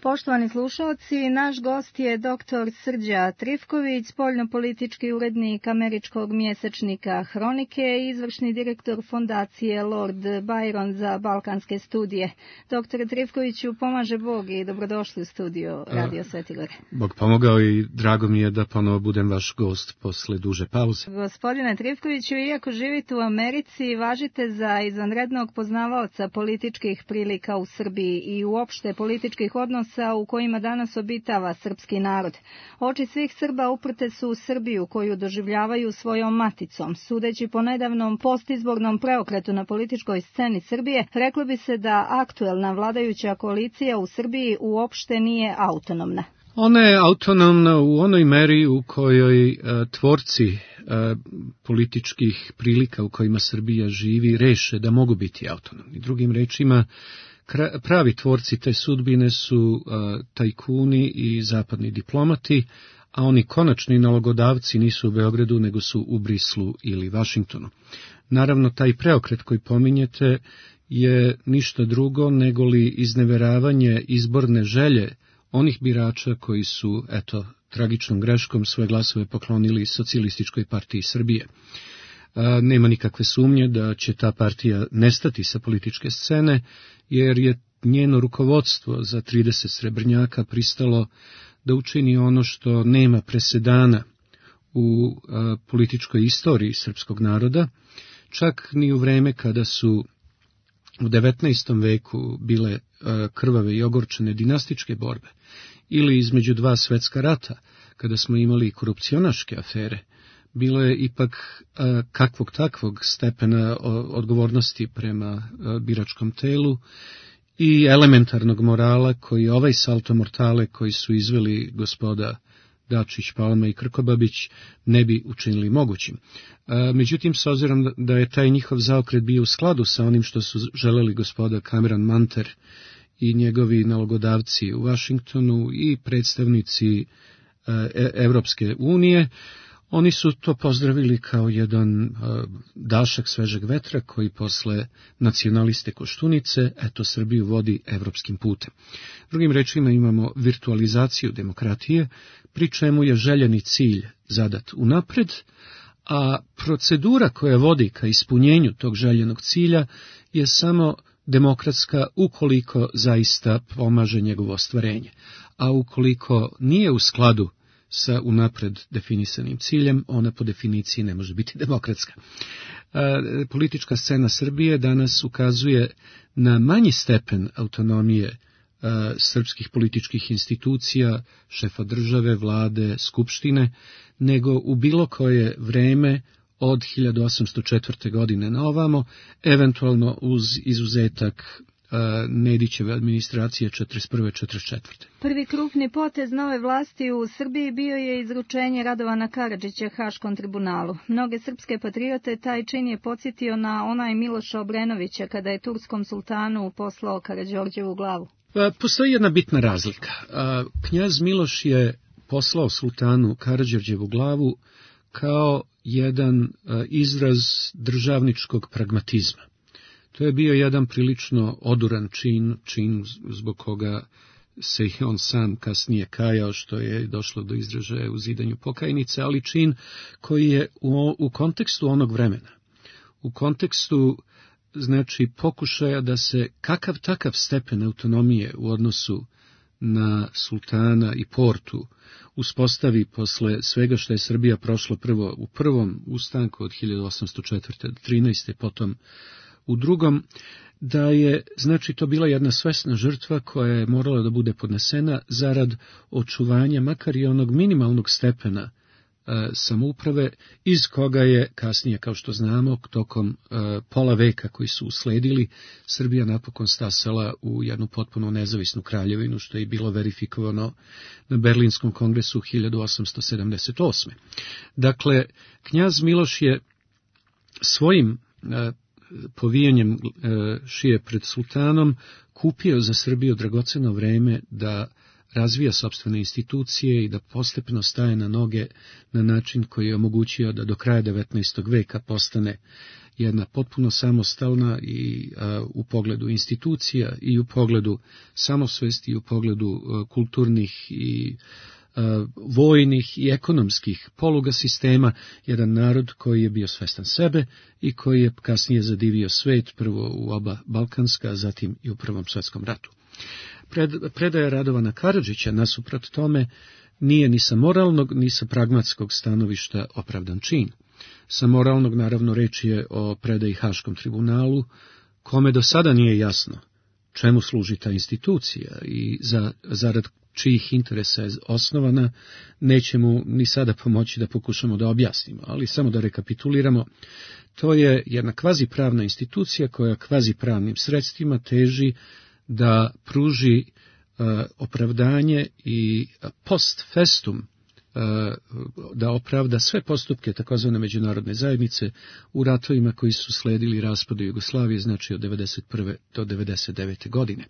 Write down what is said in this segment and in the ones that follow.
Poštovani slušalci, naš gost je dr. Srđa Trifković, spoljnopolitički urednik američkog mjesečnika Hronike i izvršni direktor fondacije Lord Byron za balkanske studije. Dr. Trifkoviću, pomaže Bog i dobrodošli u studio Radio Sveti Gore. Bog pomogao i drago mi je da ponovo budem vaš gost posle duže pauze. Gospodine Trifkoviću, iako živite u Americi, važite za izvanrednog poznavaoca političkih prilika u Srbiji i uopšte političkih odnosa u kojima danas obitava srpski narod. Oči svih Srba uprte su u Srbiju, koju doživljavaju svojom maticom. Sudeći po nedavnom postizbornom preokretu na političkoj sceni Srbije, reklo bi se da aktuelna vladajuća koalicija u Srbiji uopšte nije autonomna. Ona je autonomna u onoj meri u kojoj tvorci političkih prilika u kojima Srbija živi reše da mogu biti autonomni. Drugim rečima, pravi tvorci te sudbine su tajkuni i zapadni diplomati, a oni konačni nalogodavci nisu u Beogradu, nego su u Brislu ili Vašingtonu. Naravno, taj preokret koji pominjete je ništa drugo nego li izneveravanje izborne želje onih birača koji su, tragičnom greškom svoje glasove poklonili Socijalističkoj partiji Srbije. Nema nikakve sumnje da će ta partija nestati sa političke scene, jer je njeno rukovodstvo za 30 srebrnjaka pristalo da učini ono što nema presedana u političkoj istoriji srpskog naroda, čak ni u vreme kada su u 19. veku bile krvave i ogorčene dinastičke borbe, ili između dva svetska rata, kada smo imali korupcionaške afere. Bilo je ipak kakvog takvog stepena odgovornosti prema biračkom telu i elementarnog morala koji ovaj salto mortale koji su izveli gospoda Dačić, Palma i Krkobabić ne bi učinili mogućim. Međutim, s obzirom da je taj njihov zaokret bio u skladu sa onim što su želeli gospoda Cameron Manter i njegovi nalogodavci u Vašingtonu i predstavnici Evropske unije, oni su to pozdravili kao jedan dašak svežeg vetra koji posle nacionaliste Koštunice, Srbiju vodi evropskim putem. Drugim rečima imamo virtualizaciju demokratije, pri čemu je željeni cilj zadat unapred, a procedura koja vodi ka ispunjenju tog željenog cilja je samo demokratska ukoliko zaista pomaže njegovo ostvarenje, a ukoliko nije u skladu sa unapred definisanim ciljem, ona po definiciji ne može biti demokratska. Politička scena Srbije danas ukazuje na manji stepen autonomije srpskih političkih institucija, šefa države, vlade, skupštine, nego u bilo koje vreme od 1804. godine na ovamo, eventualno uz izuzetak Nedićeve administracije 41. 44. Prvi krupni potez nove vlasti u Srbiji bio je izručenje Radovana Karadžića Haškom tribunalu. Mnoge srpske patriote taj čin je podsjetio na onaj Miloša Obrenovića kada je turskom sultanu poslao Karađorđevu glavu. Postoji jedna bitna razlika. Knjaz Miloš je poslao sultanu Karađorđevu glavu kao jedan izraz državničkog pragmatizma. To je bio jedan prilično oduran čin zbog koga se i on sam kasnije kajao što je došlo do izražaja u zidanju pokajnice, ali čin koji je u kontekstu onog vremena, u kontekstu pokušaja da se kakav takav stepen autonomije u odnosu na sultana i portu uspostavi posle svega što je Srbija prošla prvo u prvom ustanku od 1804. do 13. potom u drugom, da je, to bila jedna svesna žrtva koja je morala da bude podnesena zarad očuvanja makar i onog minimalnog stepena samouprave, iz koga je kasnije, kao što znamo, tokom pola veka koji su usledili, Srbija napokon stasala u jednu potpuno nezavisnu kraljevinu, što je bilo verifikovano na Berlinskom kongresu 1878. Dakle, knjaz Miloš je svojim povijanjem šije pred sultanom kupio za Srbiju dragoceno vreme da razvija sopstvene institucije i da postepeno staje na noge na način koji je omogućio da do kraja 19. veka postane jedna potpuno samostalna i u pogledu institucija i u pogledu samosvesti i u pogledu kulturnih i vojnih i ekonomskih poluga sistema, jedan narod koji je bio svestan sebe i koji je kasnije zadivio svet, prvo u oba balkanska, a zatim i u Prvom svetskom ratu. Predaja Radovana Karadžića nasuprot tome nije ni sa moralnog ni sa pragmatskog stanovišta opravdan čin. Sa moralnog, naravno, reč je o predaji Haškom tribunalu, kome do sada nije jasno čemu služi ta institucija i zarad čijih interesa je osnovana, neće mu ni sada pomoći da pokušamo da objasnimo, ali samo da rekapituliramo. To je jedna kvazipravna institucija koja kvazipravnim sredstvima teži da pruži opravdanje i post festum, da opravda sve postupke takozvane međunarodne zajednice u ratovima koji su sledili raspadu Jugoslavije, znači od 1991. do 1999. godine.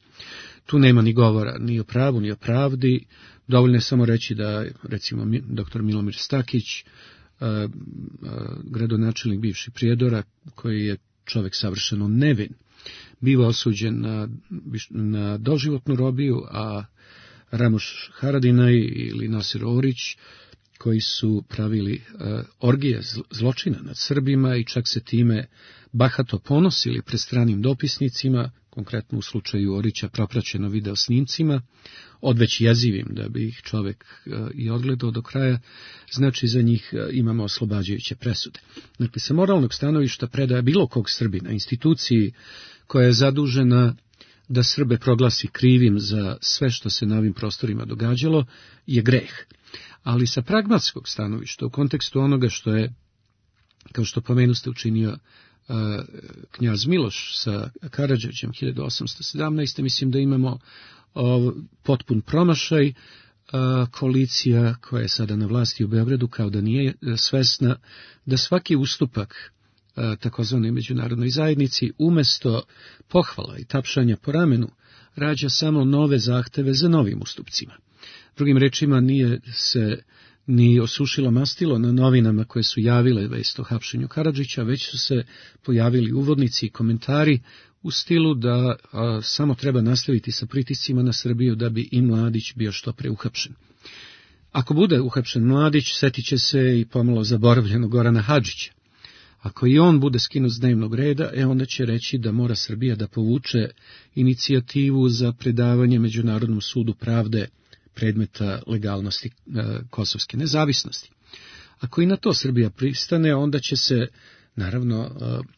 Tu nema ni govora ni o pravu, ni o pravdi, dovoljno je samo reći da, recimo, dr. Milomir Stakić, gradonačelnik bivši Prijedora, koji je čovjek savršeno nevin, biva osuđen na doživotnu robiju, a Ramoš Haradinaj ili Nasir Orić, koji su pravili orgije zločina nad Srbima i čak se time bahato ponosili pred stranim dopisnicima, konkretno u slučaju Orića propraćeno video snimcima, odveć jezivim da bi ih čovjek i odgledao do kraja, znači za njih imamo oslobađajuće presude. Dakle, sa moralnog stanovišta predaja bilo kog Srbina instituciji koja je zadužena da Srbe proglasi krivim za sve što se na ovim prostorima događalo, je greh. Ali sa pragmatskog stanovišta, u kontekstu onoga što je, kao što pomenuste, učinio knjaz Miloš sa Karadžićem 1817. mislim da imamo potpun promašaj. Koalicija koja je sada na vlasti u Beogradu kao da nije svesna da svaki ustupak takozvanoj međunarodnoj zajednici umjesto pohvala i tapšanja po ramenu rađa samo nove zahteve za novim ustupcima. Drugim rečima, nije se ni osušilo mastilo na novinama koje su javile vest o hapšenju Karadžića, već su se pojavili uvodnici i komentari u stilu da samo treba nastaviti sa pritiscima na Srbiju da bi i Mladić bio što pre uhapšen. Ako bude uhapšen Mladić, setit će se i pomalo zaboravljenog Gorana Hadžića. Ako i on bude skinut s dnevnog reda, onda će reći da mora Srbija da povuče inicijativu za predavanje Međunarodnom sudu pravde predmeta legalnosti kosovske nezavisnosti. Ako i na to Srbija pristane, onda će se, naravno,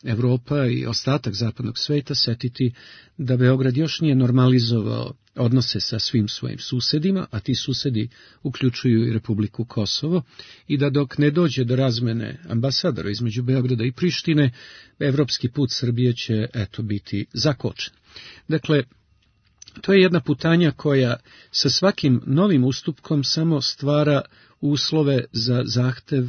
Evropa i ostatak zapadnog sveta setiti da Beograd još nije normalizovao odnose sa svim svojim susedima, a ti susedi uključuju i Republiku Kosovo, i da dok ne dođe do razmene ambasadora između Beograda i Prištine, evropski put Srbije će biti zakočen. Dakle, to je jedna putanja koja sa svakim novim ustupkom samo stvara uslove za zahtev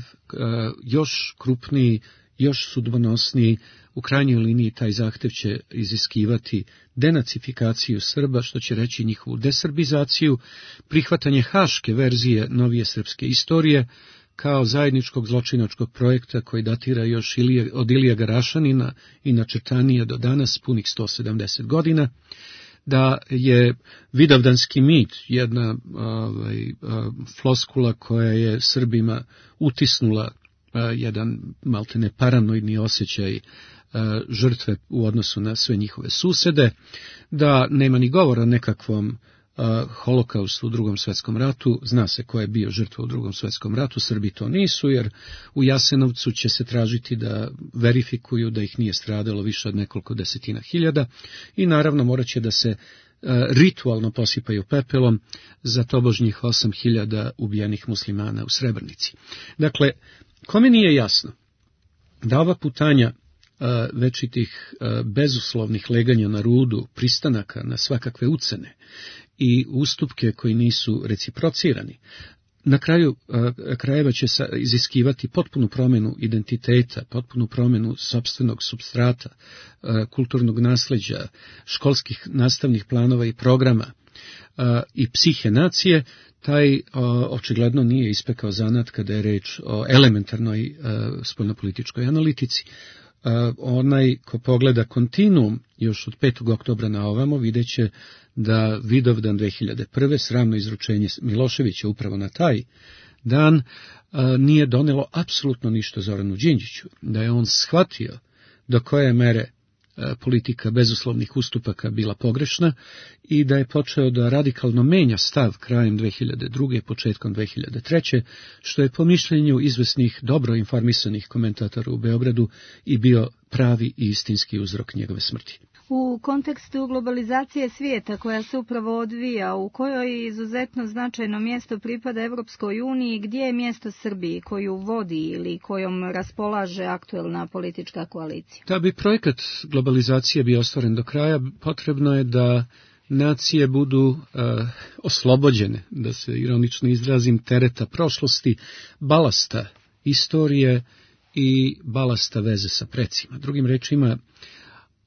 još krupniji, još sudbonosniji. U krajnjoj liniji taj zahtev će iziskivati denacifikaciju Srba, što će reći njihovu desrbizaciju, prihvatanje haške verzije novije srpske istorije kao zajedničkog zločinačkog projekta koji datira još od Ilija Garašanina i načrtanije do danas, punih 170 godina, da je vidovdanski mit jedna floskula koja je Srbima utisnula jedan maltene paranoidni osjećaj žrtve u odnosu na sve njihove susede, da nema ni govora o nekakvom holokaustu u Drugom svjetskom ratu. Zna se ko je bio žrtva u Drugom svjetskom ratu, Srbi to nisu, jer u Jasenovcu će se tražiti da verifikuju da ih nije stradalo više od nekoliko desetina hiljada i naravno morat će da se ritualno posipaju pepelom za tobožnjih 8.000 ubijenih muslimana u Srebrenici. Dakle, kome nije jasno da ova putanja večitih bezuslovnih leganja na rudu, pristanaka na svakakve ucene i ustupke koji nisu reciprocirani, na kraju krajeva će iziskivati potpunu promjenu identiteta, potpunu promjenu sopstvenog supstrata, kulturnog nasleđa, školskih nastavnih planova i programa, i psihe nacije, taj očigledno nije ispekao zanat kada je reč o elementarnoj spoljnopolitičkoj analitici. Onaj ko pogleda kontinuum još od 5. oktobra na ovamo vidjet će da Vidovdan 2001. sramno izručenje Miloševića upravo na taj dan nije donelo apsolutno ništa Zoranu Đinđiću, da je on shvatio do koje mere politika bezuslovnih ustupaka bila pogrešna i da je počeo da radikalno menja stav krajem 2002. početkom 2003. što je po mišljenju izvesnih dobro informisanih komentatora u Beogradu i bio pravi i istinski uzrok njegove smrti. U kontekstu globalizacije svijeta koja se upravo odvija, u kojoj izuzetno značajno mjesto pripada Evropskoj uniji, gdje je mjesto Srbiji koju vodi ili kojom raspolaže aktuelna politička koalicija? Da bi projekat globalizacije bio ostvaren do kraja, potrebno je da nacije budu oslobođene, da se ironično izrazim, tereta prošlosti, balasta istorije i balasta veze sa precima. Drugim rečima,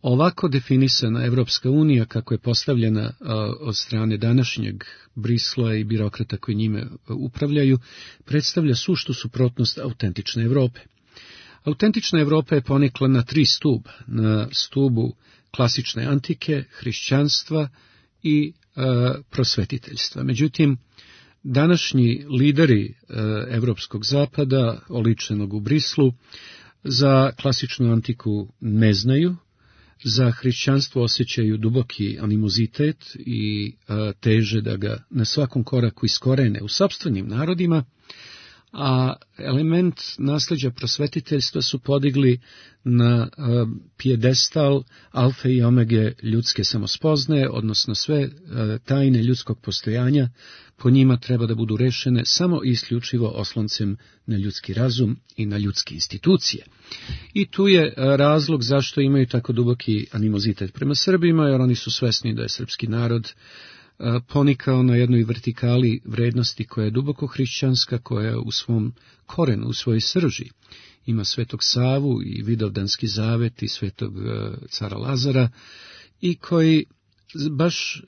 ovako definisana Evropska unija, kako je postavljena od strane današnjeg Brisla i birokrata koji njime upravljaju, predstavlja suštu suprotnost autentične Evrope. Autentična Evropa je ponikla na 3 stuba, na stubu klasične antike, hrišćanstva i prosvetiteljstva. Međutim, današnji lideri Evropskog zapada, oličenog u Brislu, za klasičnu antiku ne znaju, za hrišćanstvo osjećaju duboki animozitet i teže da ga na svakom koraku iskorene u sopstvenim narodima, a element nasljeđa prosvetiteljstva su podigli na pijedestal alfe i omege ljudske samospoznaje, odnosno sve tajne ljudskog postojanja po njima treba da budu rešene samo i isključivo osloncem na ljudski razum i na ljudske institucije. I tu je razlog zašto imaju tako duboki animozitet prema Srbima, jer oni su svesni da je srpski narod ponikao na jednoj vertikali vrednosti koja je duboko hrišćanska, koja u svom korenu, u svojoj srži ima Svetog Savu i Vidovdanski zavet i Svetog cara Lazara i koji baš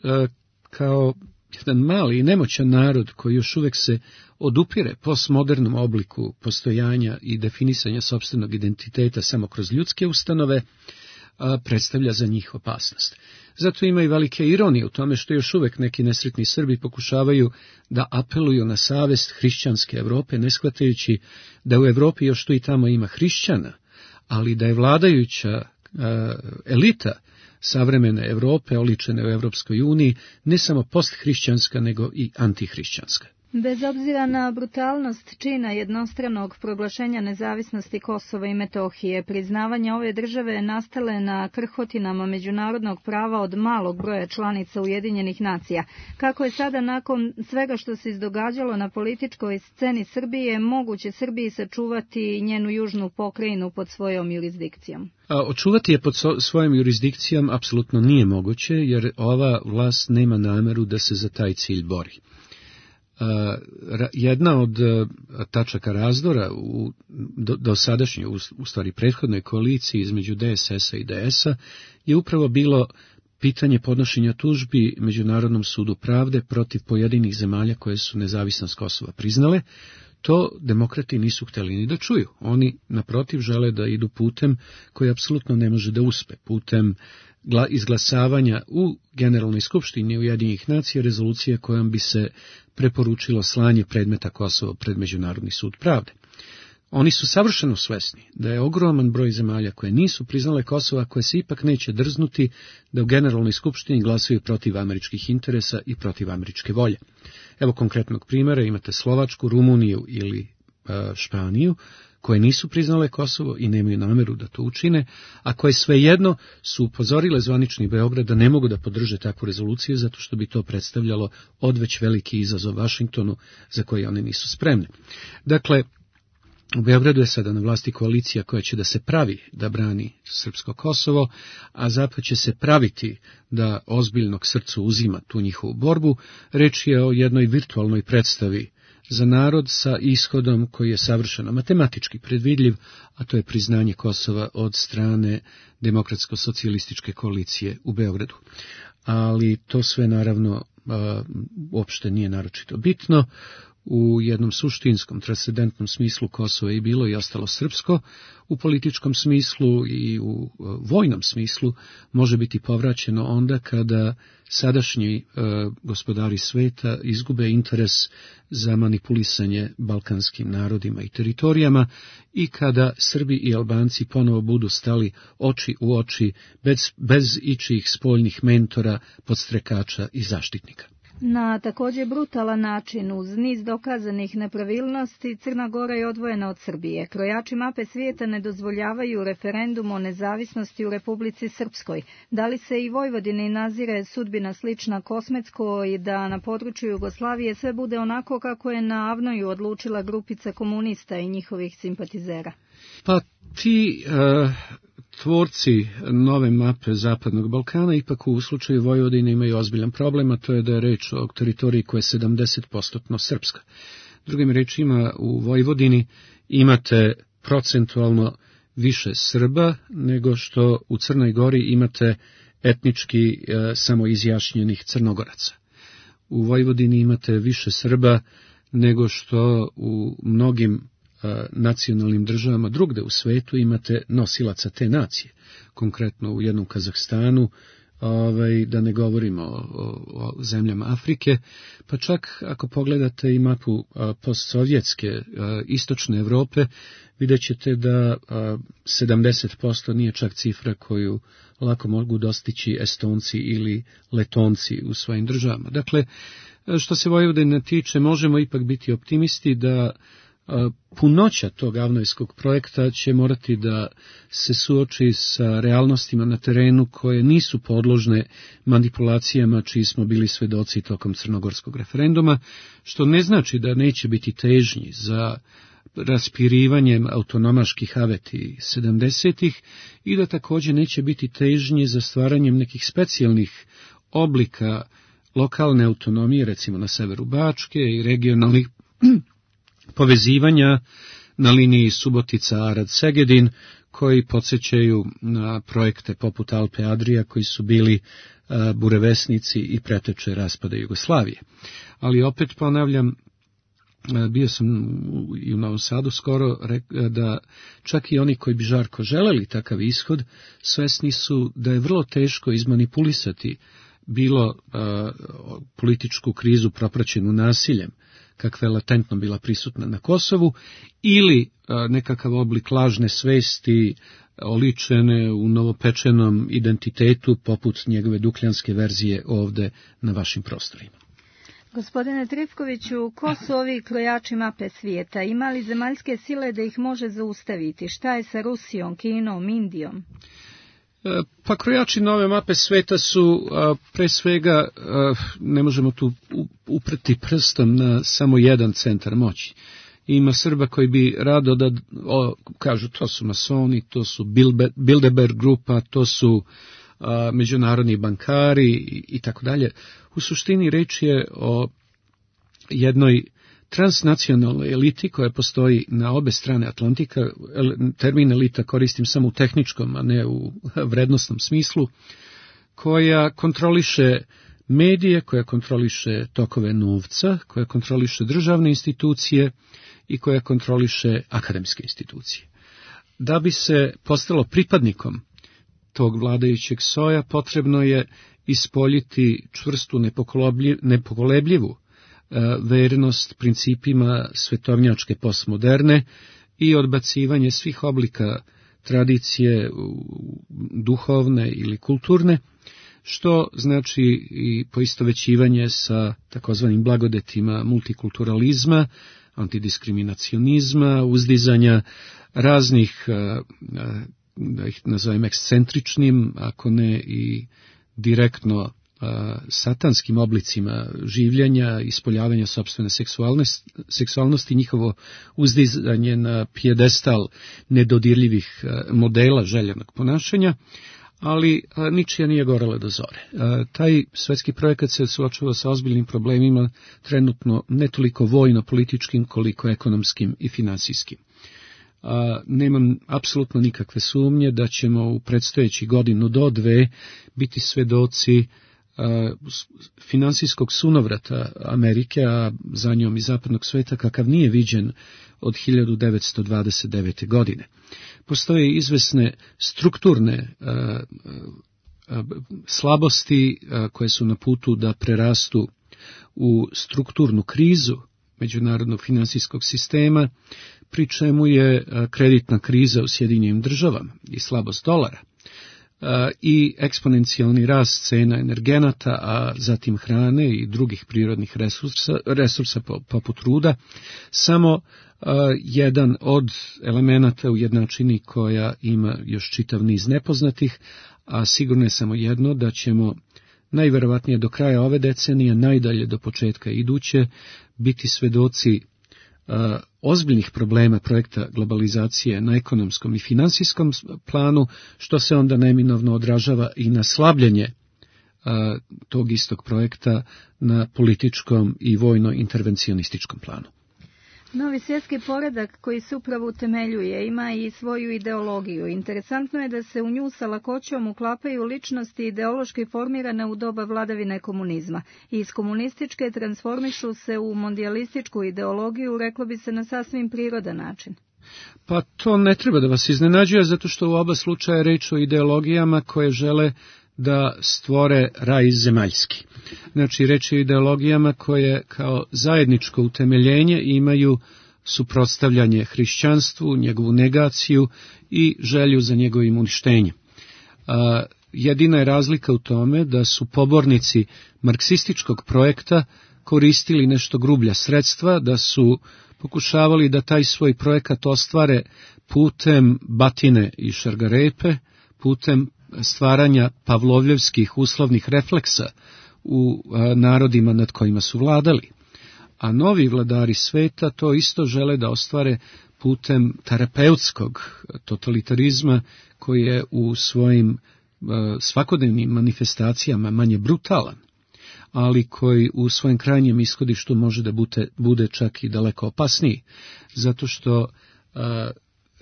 kao jedan mali i nemoćan narod koji još uvek se odupire postmodernom obliku postojanja i definisanja sopstvenog identiteta samo kroz ljudske ustanove, predstavlja za njih opasnost. Zato ima i velike ironije u tome što još uvek neki nesretni Srbi pokušavaju da apeluju na savest hrišćanske Evrope, ne shvatajući da u Evropi još tu i tamo ima hrišćana, ali da je vladajuća elita savremene Evrope, oličene u Evropskoj uniji, ne samo posthrišćanska, nego i antihrišćanska. Bez obzira na brutalnost čina jednostranog proglašenja nezavisnosti Kosova i Metohije, priznavanja ove države nastale na krhotinama međunarodnog prava od malog broja članica Ujedinjenih nacija, kako je sada nakon svega što se izdogađalo na političkoj sceni Srbije, moguće Srbiji sačuvati njenu južnu pokrajinu pod svojom jurisdikcijom? Očuvati je pod svojom jurisdikcijom apsolutno nije moguće, jer ova vlast nema nameru da se za taj cilj bori. Jedna od tačaka razdora u dosadašnjoj, u stvari prethodnoj koaliciji između DSS-a i DS-a je upravo bilo pitanje podnošenja tužbi Međunarodnom sudu pravde protiv pojedinih zemalja koje su nezavisnost Kosova priznale. To demokrati nisu hteli ni da čuju. Oni, naprotiv, žele da idu putem koji apsolutno ne može da uspe, putem izglasavanja u Generalnoj skupštini Ujedinjenih nacija rezolucije kojom bi se preporučilo slanje predmeta Kosova pred Međunarodni sud pravde. Oni su savršeno svesni da je ogroman broj zemalja koje nisu priznale Kosova, koje se ipak neće drznuti da u Generalnoj skupštini glasaju protiv američkih interesa i protiv američke volje. Evo konkretnog primjera, imate Slovačku, Rumuniju ili Španiju, koje nisu priznale Kosovo i nemaju nameru da to učine, a koje svejedno su upozorile zvanični Beograd da ne mogu da podrže takvu rezoluciju, zato što bi to predstavljalo odveć veliki izazov Vašingtonu za koji oni nisu spremni. Dakle, u Beogradu je sada na vlasti koalicija koja će da se pravi da brani srpsko Kosovo, a Zapad će se praviti da ozbiljno k srcu uzima tu njihovu borbu. Reč je o jednoj virtualnoj predstavi za narod sa ishodom koji je savršeno matematički predvidljiv, a to je priznanje Kosova od strane Demokratsko-socijalističke koalicije u Beogradu. Ali to sve naravno uopšte nije naročito bitno. U jednom suštinskom, transcendentnom smislu Kosovo je bilo i ostalo srpsko, u političkom smislu i u vojnom smislu može biti povraćeno onda kada sadašnji gospodari sveta izgube interes za manipulisanje balkanskim narodima i teritorijama i kada Srbi i Albanci ponovo budu stali oči u oči bez ičijih spoljnih mentora, podstrekača i zaštitnika. Na također brutalan način, uz niz dokazanih nepravilnosti, Crna Gora je odvojena od Srbije. Krojači mape svijeta ne dozvoljavaju referendum o nezavisnosti u Republici Srpskoj. Da li se i Vojvodini nazire sudbina slična Kosmetskoj i da na području Jugoslavije sve bude onako kako je na Avnoju odlučila grupica komunista i njihovih simpatizera? Pa ti tvorci nove mape Zapadnog Balkana ipak u slučaju Vojvodine imaju ozbiljan problem, a to je da je reč o teritoriji koja je 70% srpska. Drugim rečima, u Vojvodini imate procentualno više Srba nego što u Crnoj Gori imate etnički samoizjašnjenih Crnogoraca. U Vojvodini imate više Srba nego što u mnogim nacionalnim državama drugde u svetu imate nosilaca te nacije. Konkretno u jednom Kazahstanu, da ne govorimo o zemljama Afrike, pa čak ako pogledate i mapu postsovjetske istočne Evrope, vidjet ćete da 70% nije čak cifra koju lako mogu dostići Estonci ili Letonci u svojim državama. Dakle, što se Vojvodine tiče, možemo ipak biti optimisti da punoća tog avnojskog projekta će morati da se suoči sa realnostima na terenu koje nisu podložne manipulacijama čiji smo bili svedoci tokom crnogorskog referenduma, što ne znači da neće biti težnji za raspirivanjem autonomaških aveti 70-ih i da također neće biti težnji za stvaranjem nekih specijalnih oblika lokalne autonomije, recimo na severu Bačke i regionalnih povezivanja na liniji Subotica-Arad-Segedin, koji podsjećaju na projekte poput Alpe Adria, koji su bili burevesnici i preteče raspada Jugoslavije. Ali opet ponavljam, bio sam i u Novom Sadu skoro, da čak i oni koji bi žarko želeli takav ishod, svesni su da je vrlo teško izmanipulisati bilo političku krizu propraćenu nasiljem, kakva je latentno bila prisutna na Kosovu, ili nekakav oblik lažne svesti oličene u novopečenom identitetu poput njegove dukljanske verzije ovde na vašim prostorima. Gospodine Trifkoviću, ko su ovi krojači mape svijeta? Ima li zemaljske sile da ih može zaustaviti? Šta je sa Rusijom, Kinom, Indijom? Pa krojači nove mape sveta su pre svega, ne možemo tu upreti prstom na samo jedan centar moći. Ima Srba koji bi rado da kažu to su masoni, to su Bilderberg grupa, to su međunarodni bankari i tako dalje. U suštini reč je o jednoj transnacionalnoj eliti koja postoji na obe strane Atlantika. Termin elita koristim samo u tehničkom, a ne u vrednosnom smislu, koja kontroliše medije, koja kontroliše tokove novca, koja kontroliše državne institucije i koja kontroliše akademske institucije. Da bi se postalo pripadnikom tog vladajućeg soja, potrebno je ispoljiti čvrstu, nepokolebljivu vernost principima svetovnjačke postmoderne i odbacivanje svih oblika tradicije duhovne ili kulturne, što znači i poistovećivanje sa takozvanim blagodetima multikulturalizma, antidiskriminacionizma, uzdizanja raznih, da ih nazovem ekscentričnim, ako ne i direktno satanskim oblicima življenja, ispoljavanja sopstvene seksualnosti, njihovo uzdizanje na pijedestal nedodirljivih modela željenog ponašanja, ali ničija nije gorela do zore. Taj svetski projekat se suočava sa ozbiljnim problemima, trenutno ne toliko vojno-političkim, koliko ekonomskim i finansijskim. Nemam apsolutno nikakve sumnje da ćemo u predstojeći godinu do dve biti svedoci finansijskog sunovrata Amerike, a za njom i zapadnog sveta, kakav nije viđen od 1929. godine. Postoje izvesne strukturne slabosti koje su na putu da prerastu u strukturnu krizu međunarodnog finansijskog sistema, pri čemu je kreditna kriza u Sjedinjenim Državama i slabost dolara i eksponencijalni rast cena energenata, a zatim hrane i drugih prirodnih resursa poput ruda, samo jedan od elemenata u jednačini koja ima još čitav niz nepoznatih, a sigurno je samo jedno, da ćemo najverovatnije do kraja ove decenije, najdalje do početka iduće, biti svedoci ozbiljnih problema projekta globalizacije na ekonomskom i finansijskom planu, što se onda neminovno odražava i na slabljenje tog istog projekta na političkom i vojno-intervencionističkom planu. Novi svjetski poredak koji se upravo utemeljuje ima i svoju ideologiju. Interesantno je da se u nju sa lakoćom uklapaju ličnosti ideološki formirane u doba vladavine komunizma. Iz komunističke transformišu se u mondijalističku ideologiju, reklo bi se na sasvim prirodan način. Pa to ne treba da vas iznenađuje, zato što u oba slučaja je reč o ideologijama koje žele da stvore raj zemaljski. Znači, reč je o ideologijama koje kao zajedničko utemeljenje imaju suprotstavljanje hrišćanstvu, njegovu negaciju i želju za njegovim uništenjem. Jedina je razlika u tome da su pobornici marksističkog projekta koristili nešto grublja sredstva, da su pokušavali da taj svoj projekat ostvare putem batine i šargarepe, putem stvaranja pavlovljevskih uslovnih refleksa u narodima nad kojima su vladali. A novi vladari sveta to isto žele da ostvare putem terapeutskog totalitarizma koji je u svojim svakodnevnim manifestacijama manje brutalan, ali koji u svojem krajnjem ishodištu može da bude čak i daleko opasniji, zato što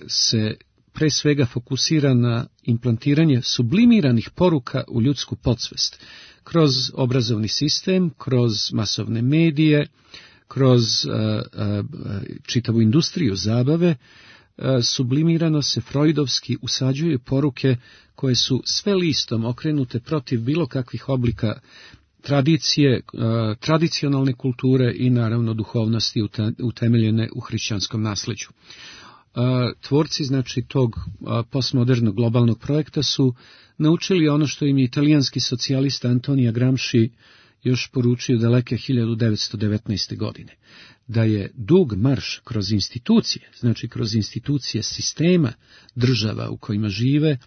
se pre svega fokusira na implantiranje sublimiranih poruka u ljudsku podsvest, kroz obrazovni sistem, kroz masovne medije, kroz čitavu industriju zabave. Sublimirano se freudovski usađuju poruke koje su sve listom okrenute protiv bilo kakvih oblika tradicije, tradicionalne kulture i naravno duhovnosti utemeljene u hrišćanskom nasleđu. Tvorci, znači, tog postmodernog globalnog projekta su naučili ono što im je italijanski socijalista Antonio Gramsci još poručio daleke 1919. godine, da je dug marš kroz institucije, znači kroz institucije sistema država u kojima žive,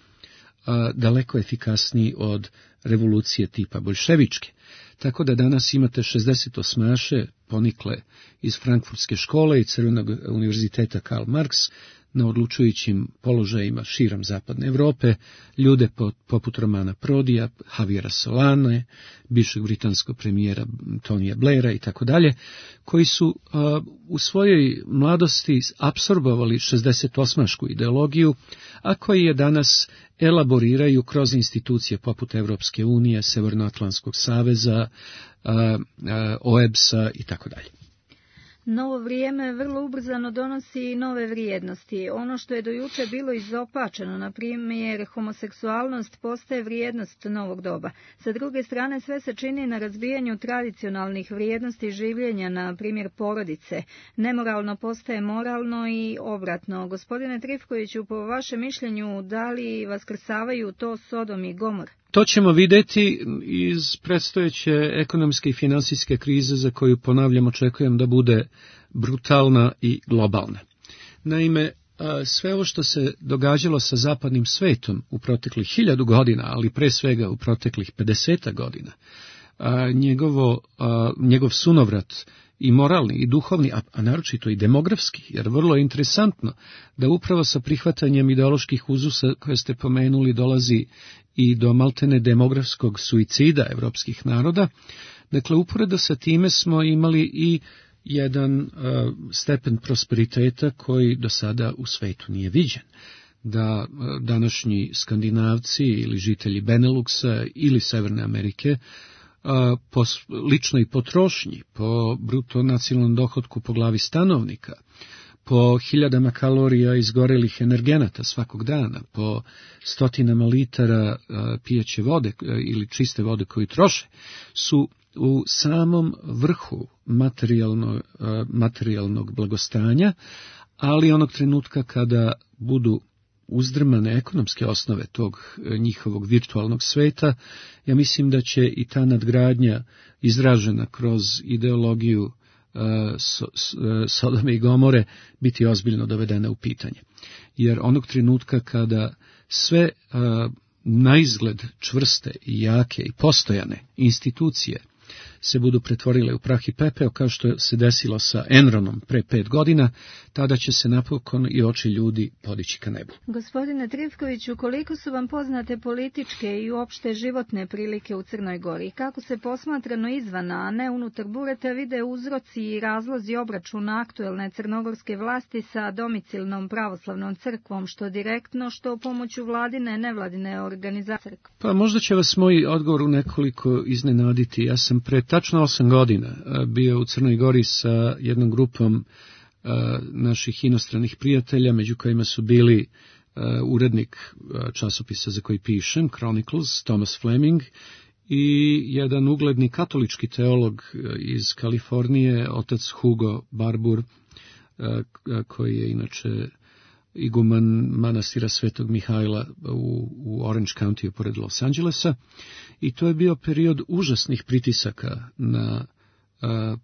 daleko efikasniji od revolucije tipa boljševičke. Tako da danas imate 68-aše, ponikle iz Frankfurtske škole i Crvenog univerziteta Karl Marx, na odlučujućim položajima širom zapadne Evrope, ljude poput Romana Prodija, Javiera Solane, bivšeg britanskog premijera Tonija Blaira i tako dalje, koji su u svojoj mladosti apsorbovali 68-ašku ideologiju, a koji je danas elaboriraju kroz institucije poput Evropske unije, Severnoatlantskog saveza, OEBS-a i tako dalje. Novo vrijeme vrlo ubrzano donosi i nove vrijednosti. Ono što je do juče bilo izopačeno, na primjer homoseksualnost, postaje vrijednost novog doba. Sa druge strane, sve se čini na razbijanju tradicionalnih vrijednosti življenja, na primjer porodice. Nemoralno postaje moralno i obratno. Gospodine Trifkoviću, po vašem mišljenju, da li vaskrsavaju to Sodom i Gomor? To ćemo vidjeti iz predstojeće ekonomske i finansijske krize za koju, ponavljam, očekujem da bude brutalna i globalna. Naime, sve ovo što se događalo sa zapadnim svetom u proteklih 1000 godina, ali pre svega u proteklih 50 godina, njegov sunovrat i moralni i duhovni, a naročito i demografski, jer vrlo je interesantno da upravo sa prihvatanjem ideoloških uzusa koje ste pomenuli dolazi i do maltene demografskog suicida evropskih naroda. Dakle, uporedo sa time smo imali i jedan stepen prosperiteta koji do sada u svetu nije viđen. Da današnji Skandinavci ili žitelji Beneluxa ili Severne Amerike po ličnoj potrošnji, po bruto nacionalnom dohotku po glavi stanovnika, po hiljadama kalorija izgorelih energenata svakog dana, po stotinama litara pijeće vode ili čiste vode koju troše, su u samom vrhu materijalnog blagostanja, ali onog trenutka kada budu uzdrmane ekonomske osnove tog njihovog virtualnog sveta, ja mislim da će i ta nadgradnja izražena kroz ideologiju Sodome i Gomore biti ozbiljno dovedena u pitanje. Jer onog trenutka kada sve naizgled čvrste i jake i postojane institucije se budu pretvorile u prah i pepeo, kao što se desilo sa Enronom pre 5 godina, tada će se napokon i oči ljudi podići ka nebu. Gospodine Trifkoviću, koliko su vam poznate političke i uopšte životne prilike u Crnoj Gori? Kako se posmatrano izvana, a ne unutar bureta, vide uzroci i razlozi obračuna aktuelne crnogorske vlasti sa domicilnom pravoslavnom crkvom, što direktno, što pomoću vladine, nevladine organizacije? Pa možda će vas moj odgovor u nekoliko iznenaditi. Ja sam pre tačno 8 godina bio u Crnoj Gori sa jednom grupom naših inostranih prijatelja, među kojima su bili urednik časopisa za koji pišem, Chronicles, Thomas Fleming, i jedan ugledni katolički teolog iz Kalifornije, otac Hugo Barbour, koji je inače iguman manastira Svetog Mihajla u Orange County pored Los Angelesa, i to je bio period užasnih pritisaka na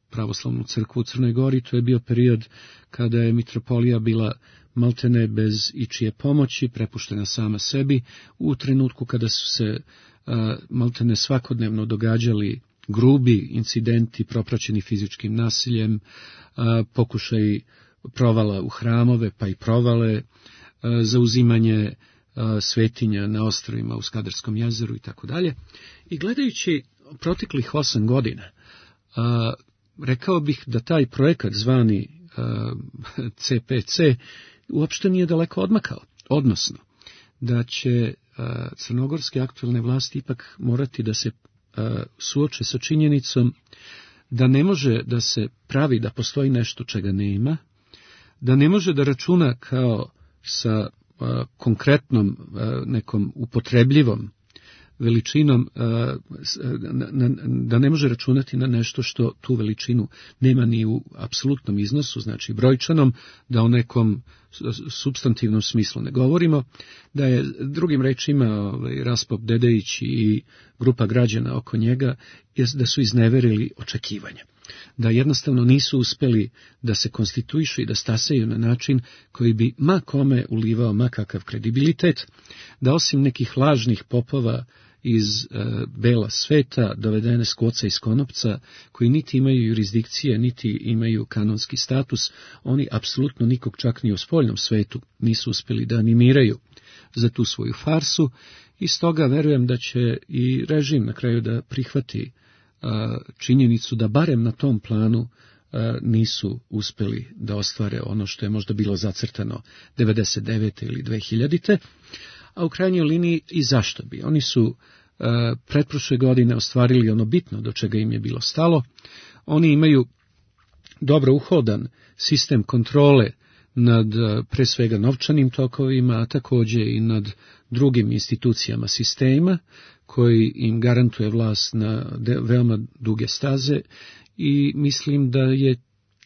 pravoslavnu crkvu u Crnoj Gori. To je bio period kada je mitropolija bila maltene bez ičije pomoći, prepuštena sama sebi, u trenutku kada su se maltene svakodnevno događali grubi incidenti propraćeni fizičkim nasiljem, pokušaj provala u hramove, pa i provale, zauzimanje svetinja na ostrvima u Skadarskom jezeru i tako dalje. I gledajući proteklih 8 godina, rekao bih da taj projekat zvani CPC uopšte nije daleko odmakao, odnosno da će crnogorske aktualne vlasti ipak morati da se suoče sa činjenicom da ne može da se pravi da postoji nešto čega nema, da ne može da računa kao sa konkretnom nekom upotrebljivom veličinom, da ne može računati na nešto što tu veličinu nema ni u apsolutnom iznosu, znači brojčanom, da o nekom supstantivnom smislu ne govorimo, da je drugim rečima Raspop Dedejić i grupa građana oko njega, da su izneverili očekivanja, da jednostavno nisu uspeli da se konstituišu i da stasaju na način koji bi ma kome ulivao ma kakav kredibilitet, da osim nekih lažnih popova iz bela sveta, dovedene s koca i s konopca, koji niti imaju jurisdikcije, niti imaju kanonski status, oni apsolutno nikog čak ni u spoljnom svetu nisu uspeli da animiraju za tu svoju farsu, i stoga verujem da će i režim na kraju da prihvati činjenicu da barem na tom planu nisu uspeli da ostvare ono što je možda bilo zacrtano 99. ili 2000. A u krajnjoj liniji i zašto bi. Oni su pretprošle godine ostvarili ono bitno do čega im je bilo stalo. Oni imaju dobro uhodan sistem kontrole nad pre svega novčanim tokovima, a također i nad drugim institucijama sistema, koji im garantuje vlast na veoma duge staze, i mislim da je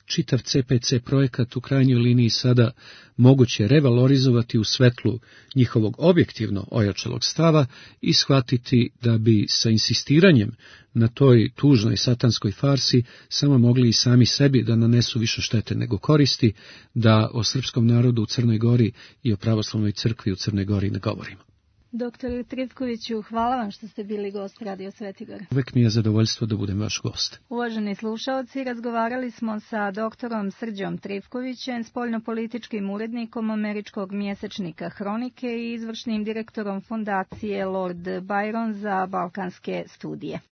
čitav CPC projekat u krajnjoj liniji sada moguće revalorizovati u svetlu njihovog objektivno ojačalog stava i shvatiti da bi sa insistiranjem na toj tužnoj satanskoj farsi samo mogli i sami sebi da nanesu više štete nego koristi, da o srpskom narodu u Crnoj Gori i o pravoslavnoj crkvi u Crnoj Gori ne govorimo. Doktore Trifkoviću, hvala vam što ste bili gost Radio Svetigora. Uvek mi je zadovoljstvo da budem vaš gost. Uvaženi slušaoci, razgovarali smo sa doktorom Srđom Trifkovićem, spoljnopolitičkim urednikom američkog mjesečnika Hronike i izvršnim direktorom fondacije Lord Byron za balkanske studije.